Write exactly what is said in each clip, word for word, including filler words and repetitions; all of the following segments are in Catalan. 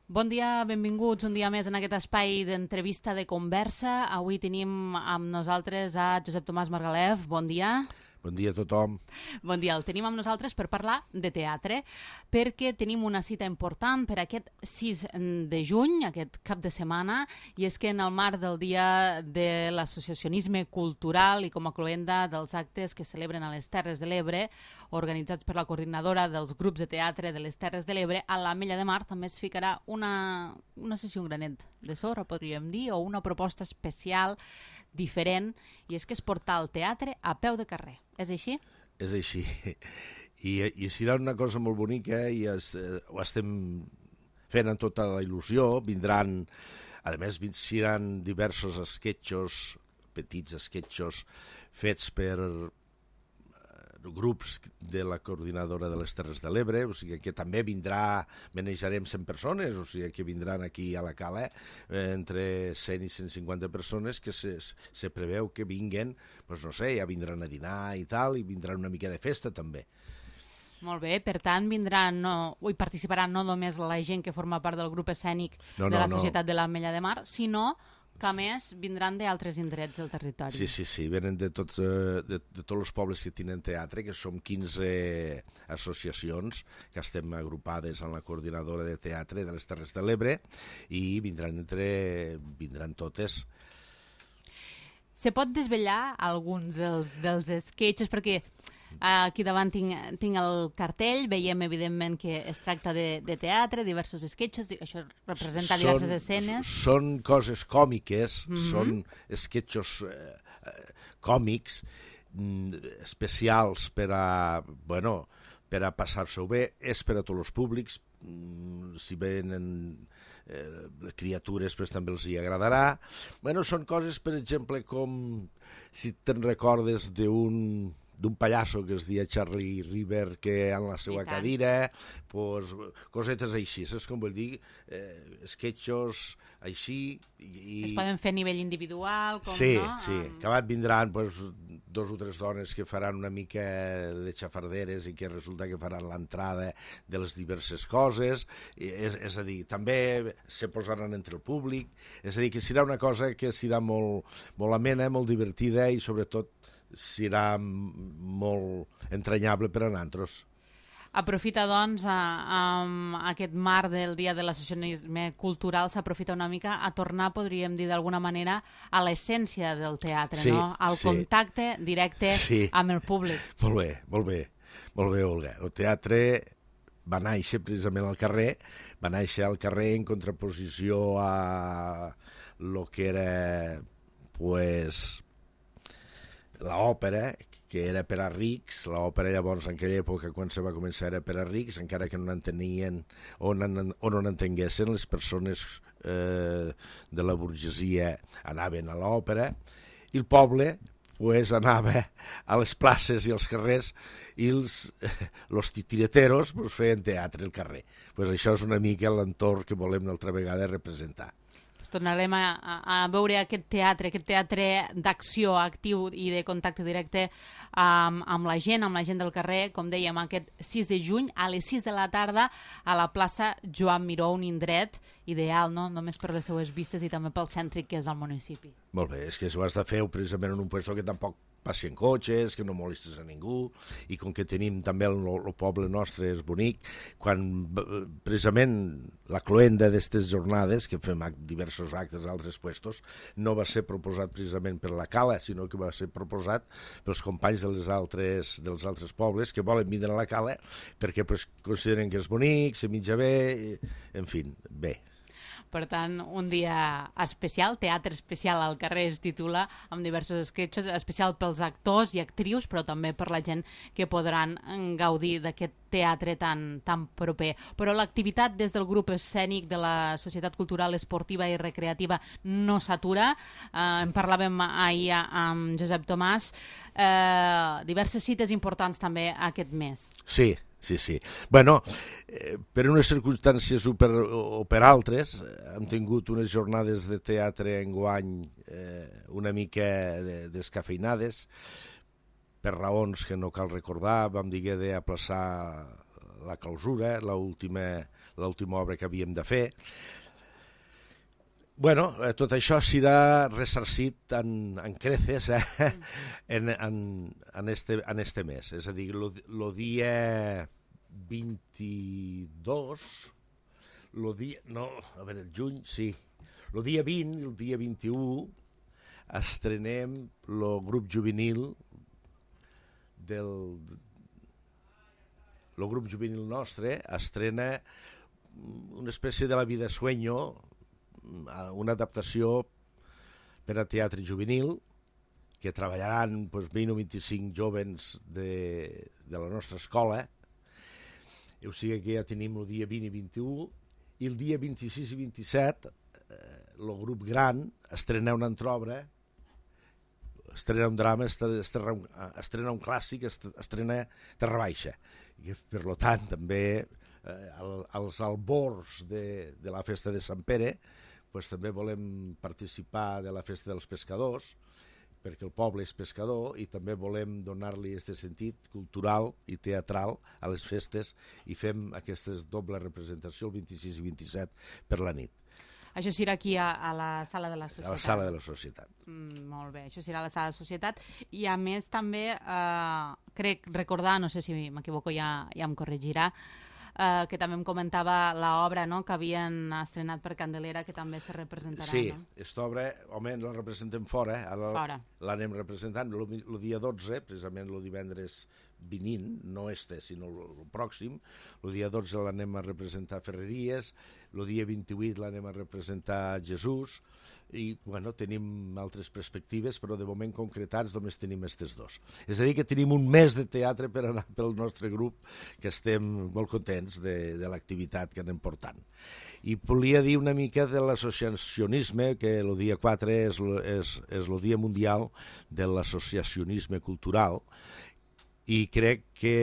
Bon dia, benvinguts un dia més en aquest espai d'entrevista de conversa. Avui tenim amb nosaltres a Josep Tomàs Margalef. Bon dia. Bon dia a tothom. Bon dia, el tenim amb nosaltres per parlar de teatre, perquè tenim una cita important per aquest sis de juny, aquest cap de setmana, i és que en el marc del Dia de l'Associacionisme Cultural i com a cloenda dels actes que celebren a les Terres de l'Ebre, organitzats per la coordinadora dels grups de teatre de les Terres de l'Ebre, a l'Ametlla de Mar també es ficarà una, una sessió, un granet de sorra, podríem dir, o una proposta especial diferent, i és que és portar el teatre a peu de carrer. És així? És així. I, i serà una cosa molt bonica i es, eh, ho estem fent amb tota la il·lusió. Vindran, a més, seran diversos esquetxos, petits esquetxos, fets per grups de la coordinadora de les Terres de l'Ebre, o sigui que també vindrà, manejarem cent persones, o sigui que vindran aquí a la Cala eh, entre cent i cent cinquanta persones que se, se preveu que vinguen, doncs no sé, ja vindran a dinar i tal, i vindran una mica de festa també. Molt bé, per tant vindran, no, hi participaran no només la gent que forma part del grup escènic no, no, de la Societat no. de l'Ametlla de Mar, sinó que a més vindran d'altres indrets del territori. Sí, sí, sí, venen de tots, de, de tots els pobles que tenen teatre, que som quinze associacions que estem agrupades en la coordinadora de teatre de les Terres de l'Ebre, i vindran, entre, vindran totes. Se pot desvetllar alguns dels, dels sketches, perquè aquí davant tinc, tinc el cartell, veiem evidentment que es tracta de, de teatre, diversos sketches, això representa són, diverses escenes. Són coses còmiques, mm-hmm. són sketchos eh, còmics, especials per a, bueno, per a passar-s'ho bé, és per a tots els públics, si venen eh, criatures pues, també els hi agradarà. Bueno, són coses, per exemple, com si te'n recordes d'un d'un pallasso que es deia Charlie River, que en la seva cadira, pues, cosetes així, saps com vull dir? Eh, sketchos així. I... Es poden fer a nivell individual, com sí, no? Sí, sí. Acabat vindran pues, dos o tres dones que faran una mica de xafarderes i que resulta que faran l'entrada de les diverses coses, és, és a dir, també se posaran entre el públic, és a dir, que serà una cosa que serà molt, molt amena, molt divertida i sobretot serà molt entranyable per a nosaltres. Aprofita, doncs, a, a aquest marc del Dia de l'Associacionisme Cultural, s'aprofita una mica a tornar, podríem dir d'alguna manera, a l'essència del teatre, sí, no? Al sí. contacte directe sí. amb el públic. Molt bé, molt bé, molt bé, Olga. El teatre va néixer precisament al carrer, va néixer al carrer en contraposició a lo que era, pues, l'òpera, que era per a rics. L'òpera llavors en aquella època quan se va començar era per a rics, encara que no n'entenien o no n'entenguessin les persones eh, de la burgesia anaven a l'òpera, i el poble pues, anava a les places i als carrers i els los titireteros pues, feien teatre al carrer. Pues això és una mica l'entorn que volem d'altra vegada representar. Tornarem a, a, a veure aquest teatre, aquest teatre d'acció actiu i de contacte directe amb, amb la gent, amb la gent del carrer, com dèiem, aquest sis de juny, a les sis de la tarda, a la plaça Joan Miró, un indret ideal, no? Només per les seues vistes i també pel cèntric que és el municipi. Molt bé, és que ho has de fer precisament en un lloc que tampoc passi en cotxes, que no molestes a ningú, i com que tenim també el, el poble nostre és bonic, quan precisament la cloenda d'aquestes jornades, que fem diversos actes a altres puestos, no va ser proposat precisament per la Cala, sinó que va ser proposat pels companys de les altres, dels altres pobles que volen vindre a la Cala perquè pues, consideren que és bonic, se menja bé, en fi, bé. Per tant, un dia especial, teatre especial al carrer es titula, amb diversos sketches, especial pels actors i actrius, però també per la gent que podran gaudir d'aquest teatre tan, tan proper. Però l'activitat des del grup escènic de la Societat Cultural Esportiva i Recreativa no s'atura. Eh, en parlàvem ahir amb Josep Tomàs. Eh, diverses cites importants també aquest mes. Sí, sí, sí. Bueno, eh, per unes circumstàncies o per, o per altres, hem tingut unes jornades de teatre enguany eh, una mica de, descafeinades, per raons que no cal recordar. Vam dir que d'aplaçar la clausura, l'última l'última obra que havíem de fer. Bueno, eh, tot això serà ressarcit en, en creces eh? en, en, en, este, en este mes. És a dir, el dia vint-i-dos, lo dia, no, a veure, el juny, sí, el dia vint i el dia vint-i-u estrenem el grup juvenil del... El grup juvenil nostre estrena una espècie de La vida sueño, una adaptació per a teatre juvenil, que treballaran doncs, vint o vint-i-cinc jóvens de, de la nostra escola. O sigui que ja tenim el dia vint i vint-i-u, i el dia vint-i-sis i vint-i-set el grup gran estrena una altra obra, estrena un drama, estrena un, estrena un clàssic, estrena Terra Baixa. I per tant, també eh, als albors de, de la festa de Sant Pere, pues, també volem participar de la festa dels pescadors, perquè el poble és pescador, i també volem donar-li aquest sentit cultural i teatral a les festes, i fem aquesta doble representació el vint-i-sis i vint-i-set per la nit. Això serà aquí a, a la sala de la societat. A la sala de la societat. Mm, molt bé, això serà a la sala de la societat. I a més també, eh, crec recordar, no sé si m'equivoco, ja, ja em corregirà, eh, que també em comentava l'obra, no?, que havien estrenat per Candelera, que també se representarà. Sí, no? aquesta obra, home, la representem fora, ara fora. L'anem representant el dia dotze, precisament el divendres vinint, no este, sinó el pròxim. El dia dotze l'anem a representar a Ferreries, el dia vint-i-vuit l'anem a representar a Jesús, i bueno, tenim altres perspectives, però de moment concretats només tenim aquests dos. És a dir, que tenim un mes de teatre per anar pel nostre grup, que estem molt contents de, de l'activitat que anem portant. I volia dir una mica de l'associacionisme, que el dia quatre és, és, és el Dia Mundial de l'Associacionisme Cultural, i crec que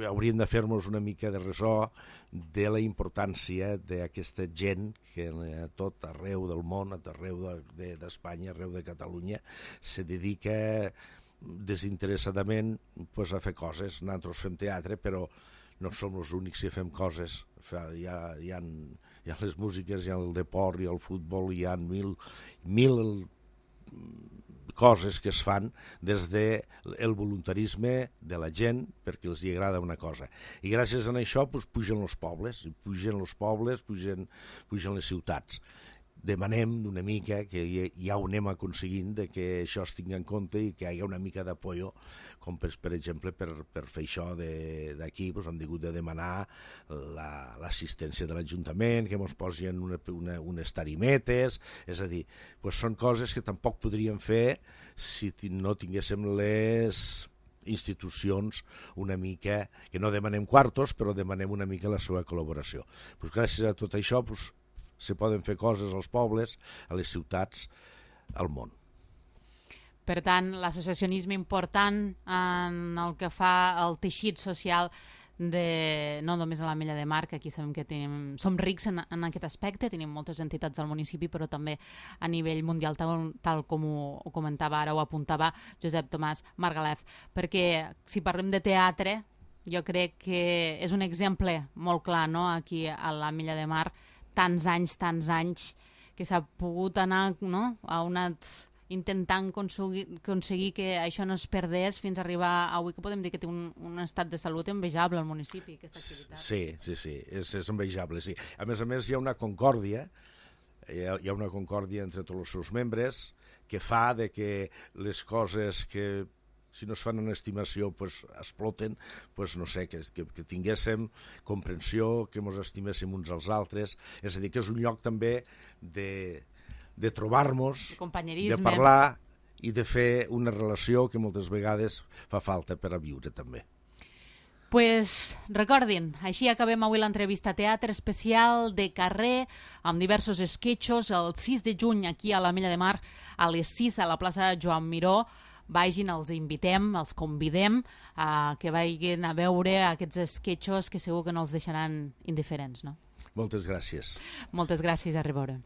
hauríem de fer-nos una mica de ressò de la importància d'aquesta gent que a tot arreu del món, a arreu d'Espanya, arreu de Catalunya, se dedica desinteressadament pues, a fer coses. Nosaltres fem teatre, però no som els únics que fem coses. Hi ha, hi ha, hi ha les músiques, hi ha el deport, hi ha el futbol, hi ha mil, mil coses que es fan des del voluntarisme de la gent perquè els hi agrada una cosa. I gràcies a això pues, pugen els pobles, pugen els pobles, pugen, pugen les ciutats. Demanem una mica que ja ho anem aconseguint de que això es tingui en compte i que hi hagi una mica d'apoyo, com per, per exemple per, per fer això d'aquí pues, hem hagut de demanar l'assistència la, de l'Ajuntament, que ens posin una, una, unes tarimetes, és a dir, pues, són coses que tampoc podríem fer si no tinguéssim les institucions una mica, que no demanem quartos, però demanem una mica la seva col·laboració. Pues, gràcies a tot això, pues, se poden fer coses als pobles, a les ciutats, al món. Per tant, l'associacionisme important en el que fa el teixit social de, no només a l'Ametlla de Mar, que aquí sabem que tenim, som rics en, en aquest aspecte, tenim moltes entitats al municipi, però també a nivell mundial, tal, tal com ho, ho comentava ara, ho apuntava Josep Tomàs Margalef. Perquè si parlem de teatre, jo crec que és un exemple molt clar, no?, aquí a l'Ametlla de Mar, tants anys, tants anys, que s'ha pogut anar, no?, a anat intentant aconseguir, aconseguir que això no es perdés fins a arribar avui, que podem dir que té un, un estat de salut envejable al municipi, aquesta activitat. Sí, sí, sí, és, és envejable, sí. A més a més, hi ha una concòrdia, hi ha, hi ha una concòrdia entre tots els seus membres que fa de que les coses que si no es fan en estimació, pues, exploten, pues, no sé, que, que, que tinguéssim comprensió, que ens estiméssim uns als altres. És a dir, que és un lloc també de, de trobar-nos, de, de parlar i de fer una relació que moltes vegades fa falta per a viure també. Pues recordin, així acabem avui l'entrevista teatre especial de carrer amb diversos esquetxos el sis de juny aquí a l'Ametlla de Mar a les sis a la plaça Joan Miró. Vagin, els invitem, els convidem a que vagin a veure aquests esquetxos que segur que no els deixaran indiferents, no? Moltes gràcies. Moltes gràcies, a reveure.